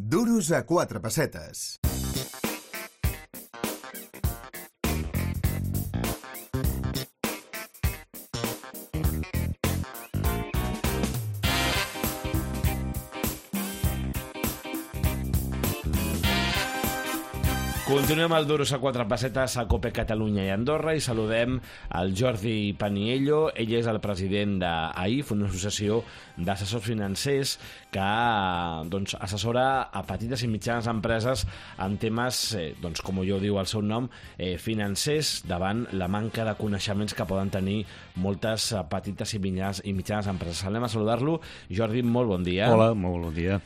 Duros a 4 pessetes. Continuem al Duros a 4 pessetes a COPE Catalunya i Andorra i saludem el Jordi Paniello. Ell és el president d'AIF, una associació d'assessors financers que assessora a petites i mitjanes empreses en temes, com jo diu el seu nom, financers, davant la manca de coneixements que poden tenir moltes petites i mitjanes empreses. Anem a saludar-lo. Jordi, molt bon dia. Hola, molt bon dia.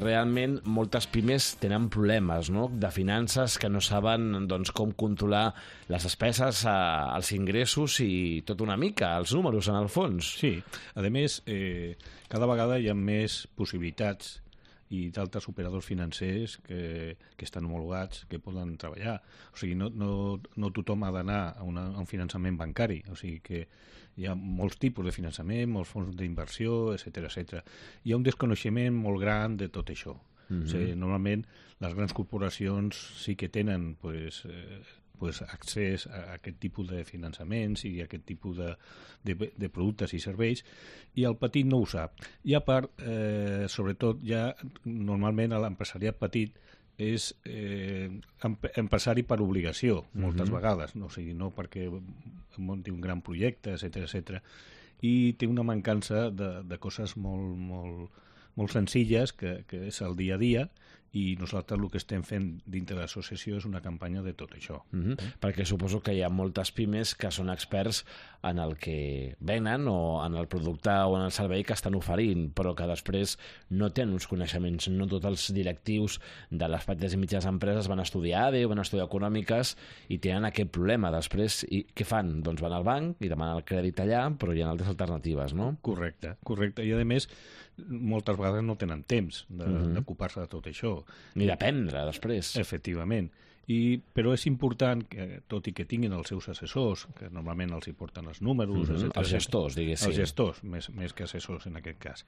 Realment, moltes pimes tenen problemes, no?, de finances, que no saben com controlar les despeses, els ingressos i tot una mica, els números en el fons. Sí, a més, cada vegada hi ha més possibilitats i d'altres operadors financers que estan homologats, que poden treballar. O sigui, no tothom ha d'anar a un finançament bancari, o sigui que hi ha molts tipus de finançament, molts fons d'inversió, etc. Hi ha un desconeixement molt gran de tot això. O sigui, normalment les grans corporacions sí que tenen accés a aquest tipus de finançaments i a aquest tipus de productes i serveis, i el petit no ho sap. I a part, sobretot, ja normalment l'empresariat petit és empresari per obligació, moltes vegades, o sigui, no perquè munti un gran projecte, etc. I té una mancança de coses molt senzilles, que és el dia a dia, i nosaltres el que estem fent dintre de l'associació és una campanya de tot això. Perquè suposo que hi ha moltes pimes que són experts en el que venen o en el producte o en el servei que estan oferint, però que després no tenen uns coneixements. No tots els directius de les petites i mitjanes empreses van estudiar ADE o van estudiar econòmiques i tenen aquest problema. Després, i què fan? Doncs van al banc i demanen el crèdit allà, però hi ha altres alternatives, no? Correcte. I a més, moltes vegades no tenen temps d'ocupar-se de tot això. Ni d'aprendre, després. Efectivament. Però és important que, tot i que tinguin els seus assessors, que normalment els hi porten els números, etc. Els gestors, diguéssim. Els gestors, més que assessors en aquest cas.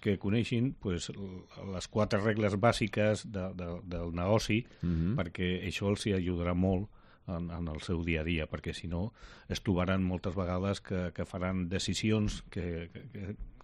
Que coneixin les 4 regles bàsiques del negoci, perquè això els hi ajudarà molt en el seu dia a dia, perquè si no es trobaran moltes vegades que faran decisions que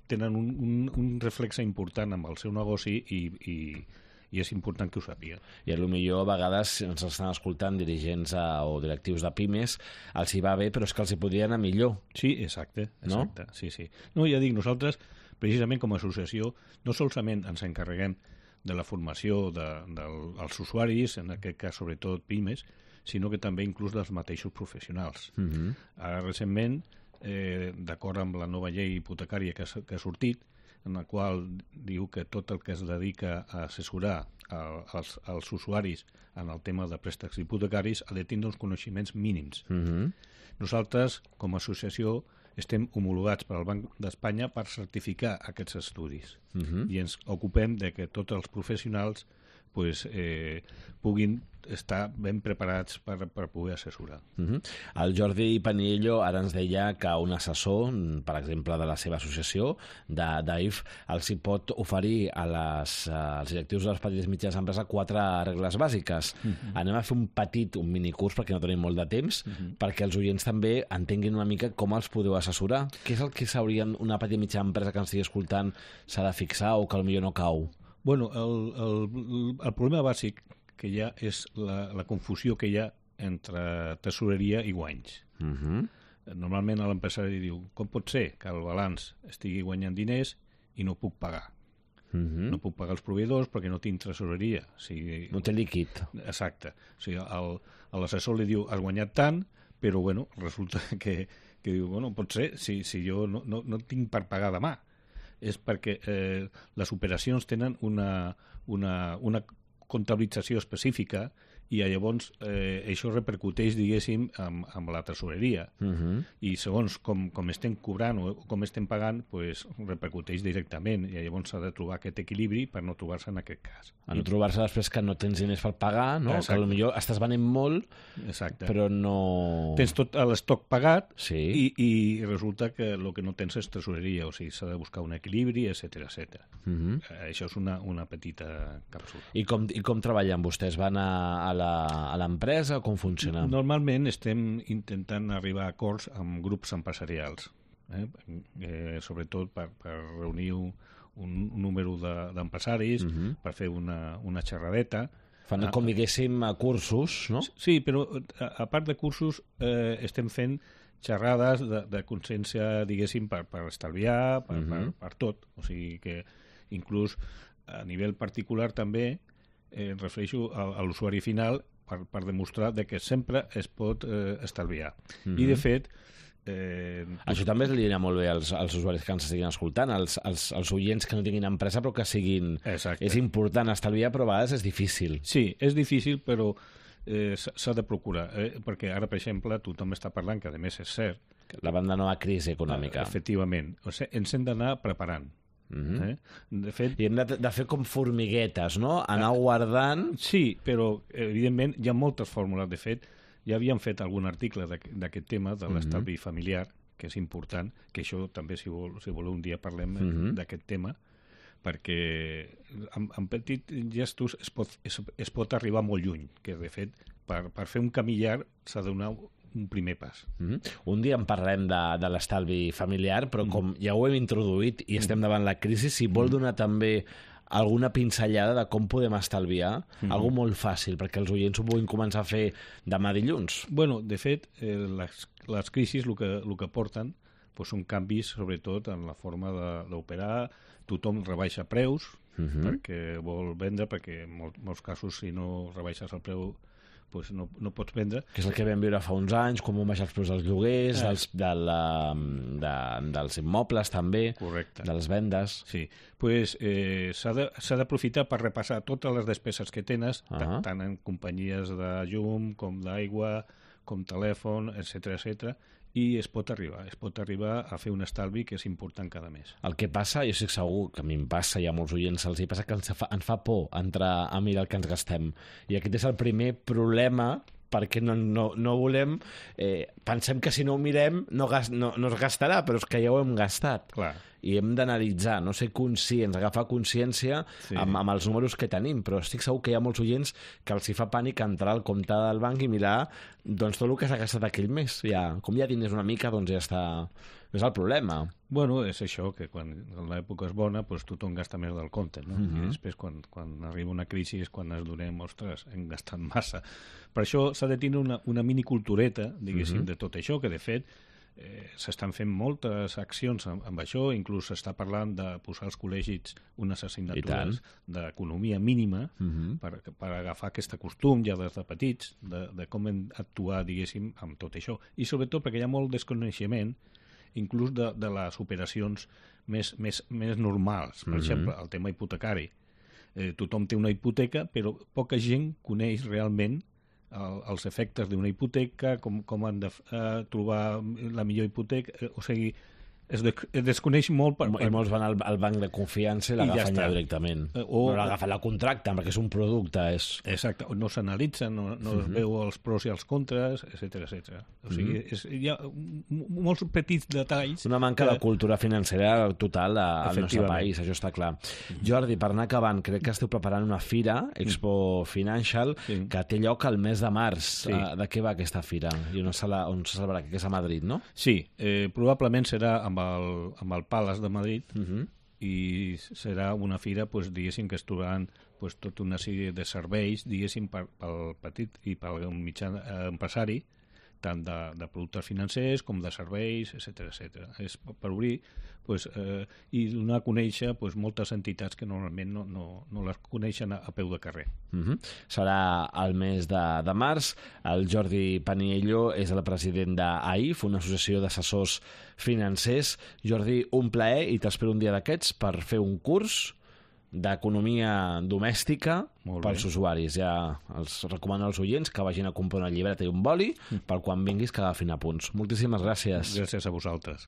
tenen un reflexe important amb el seu negoci i és important que ho sàpiguen. I potser a vegades ens estan escoltant dirigents o directius de pimes, els hi va bé, però és que els hi podria anar millor. Sí, exacte. No? Sí. No, ja dic, nosaltres, precisament com a associació, no solament ens encarreguem de la formació dels usuaris, en aquest cas sobretot pimes, sinó que també inclús dels mateixos professionals. Ara, recentment, d'acord amb la nova llei hipotecària que ha sortit, en la qual diu que tot el que es dedica a assessorar els usuaris en el tema de préstecs hipotecaris ha de tindre uns coneixements mínims. Nosaltres, com a associació, estem homologats pel Banc d'Espanya per certificar aquests estudis i ens ocupem de que tots els professionals puguin estar ben preparats per poder assessorar. El Jordi Paniello ara ens deia que un assessor, per exemple, de la seva associació, d'AIF, els hi pot oferir als directius de les petites i mitjanes empreses 4 regles bàsiques. Anem a fer un minicurs, perquè no tenim molt de temps, perquè els oients també entenguin una mica com els podeu assessorar. Què és el que una petita i mitjana empresa que ens estigui escoltant s'ha de fixar o que potser no cau? Bueno, el problema bàsic que hi ha és la confusió que hi ha entre tesoreria i guanys. Normalment l'empresari diu, com pot ser que el balanç estigui guanyant diners i no puc pagar? No puc pagar els proveïdors perquè no tinc tresoreria. No té líquid. Exacte. O sigui, l'assessor li diu, has guanyat tant, però resulta que diu, pot ser, si jo no tinc per pagar demà. És perquè les operacions tenen una comptabilització específica i llavors això repercuteix, diguéssim, amb la tresoreria. I segons com estem cobrant o com estem pagant, pues, repercuteix directament, i llavors s'ha de trobar aquest equilibri per no trobar-se en aquest cas. A no trobar-se després que no tens diners per pagar, no? Exacte. Que potser estàs venent molt, Exacte. però no... Tens tot l'estoc pagat Sí. i resulta que el que no tens és tresoreria, o sigui, s'ha de buscar un equilibri, etc etc. Això és una petita càpsula. I com treballen vostès? Van a l'empresa o com funciona? Normalment estem intentant arribar a acords amb grups empresarials, sobretot per reunir un número d'empresaris, per fer una xerradeta. Fan, com diguéssim, cursos, no? Sí, però a part de cursos estem fent xerrades de consciència, diguéssim, per estalviar, per tot. O sigui que inclús a nivell particular també refereixo a l'usuari final per demostrar que sempre es pot estalviar. I de fet... Això també li anirà molt bé als usuaris que ens estiguin escoltant, als oients que no tinguin empresa però que siguin... Exacte. És important estalviar, però a vegades és difícil. Sí, és difícil, però s'ha de procurar, perquè ara, per exemple, tothom està parlant, que a més és cert... La banda nova crisi econòmica. Efectivament. O sigui, ens hem d'anar preparant. De fet... I hem de fer com formiguetes, no? Anar guardant... Sí, però, evidentment, hi ha moltes fórmules. De fet, ja havíem fet algun article d'aquest tema, de l'estalvi familiar, que és important, que això també, si voleu, un dia parlem d'aquest tema, perquè amb petits gestos es pot arribar molt lluny, que de fet, per fer un camí llarg s'ha de donar un primer pas. Un dia en parlem de l'estalvi familiar, però com ja ho hem introduït i estem davant la crisi, si vol donar també alguna pinzellada de com podem estalviar, algo molt fàcil, perquè els oients ho puguin començar a fer demà dilluns. Bueno, de fet, les crisis el que porten són canvis, sobretot, en la forma d'operar. Tothom rebaixa preus perquè vol vendre, perquè en molts casos, si no rebaixes el preu, no pots vendre. Que és el que vam viure fa uns anys, com van baixar els preus dels lloguers, dels immobles també, correcte, de les vendes. Sí, s'ha d'aprofitar per repassar totes les despeses que tens, tant en companyies de llum, com d'aigua, com telèfon, etc, i es pot arribar a fer un estalvi que és important cada mes. El que passa, jo estic segur que a mi em passa i a molts oients els hi passa, que ens fa por entrar a mirar el que ens gastem. I aquest és el primer problema, perquè no volem... pensem que si no ho mirem no es gastarà, però és que ja ho hem gastat. Clar. I hem d'analitzar, no ser conscients, agafar consciència amb els números que tenim, però estic segur que hi ha molts oients que els hi fa pànic entrar al compte del banc i mirar doncs, tot el que s'ha gastat aquell mes. Com hi ha diners una mica, doncs ja està... És el problema. Bueno, és això, que quan l'època és bona, tothom gasta més del compte, no? I després, quan arriba una crisi, és quan ens donem, ostres, hem gastat massa. Per això s'ha de tenir una minicultureta, diguéssim, de tot això, que de fet s'estan fent moltes accions amb això, inclús s'està parlant de posar als col·legis unes assignatures d'economia mínima per agafar aquest costum ja des de petits, de com hem d'actuar, diguéssim, amb tot això. I sobretot perquè hi ha molt desconeixement inclús de les operacions més normals. Per exemple, el tema hipotecari. Tothom té una hipoteca, però poca gent coneix realment els efectes d'una hipoteca, com han de trobar la millor hipoteca, o sigui, es desconeix molt... I molts van al banc de confiança i l'agafen ja directament. No l'agafen, la contracten, perquè és un producte. Exacte, no s'analitzen, no es veu els pros i els contres, etc. O sigui, hi ha molts petits detalls... Una manca de cultura financera total al nostre país, això està clar. Jordi, per anar acabant, crec que esteu preparant una fira, Expo Financial, que té lloc al mes de març. De què va aquesta fira? I on se celebrarà? Que és a Madrid, no? Sí, probablement serà amb el Palace de Madrid i serà una fira, diguéssim, que es trobaran tota una sèrie de serveis, diguéssim, pel petit i pel mitjà empresari, tant de productes financers com de serveis, etc. És per obrir i donar a conèixer moltes entitats que normalment no les coneixen a peu de carrer. Serà el mes de març. El Jordi Paniello és el president d'AIF, una associació d'assessors financers. Jordi, un plaer, i t'espero un dia d'aquests per fer un curs d'economia domèstica Molt bé. pels usuaris. Ja els recomano als oients que vagin a comprar una llibreta i un boli per quan vinguis que agafin apunts. Moltíssimes gràcies. Gràcies a vosaltres.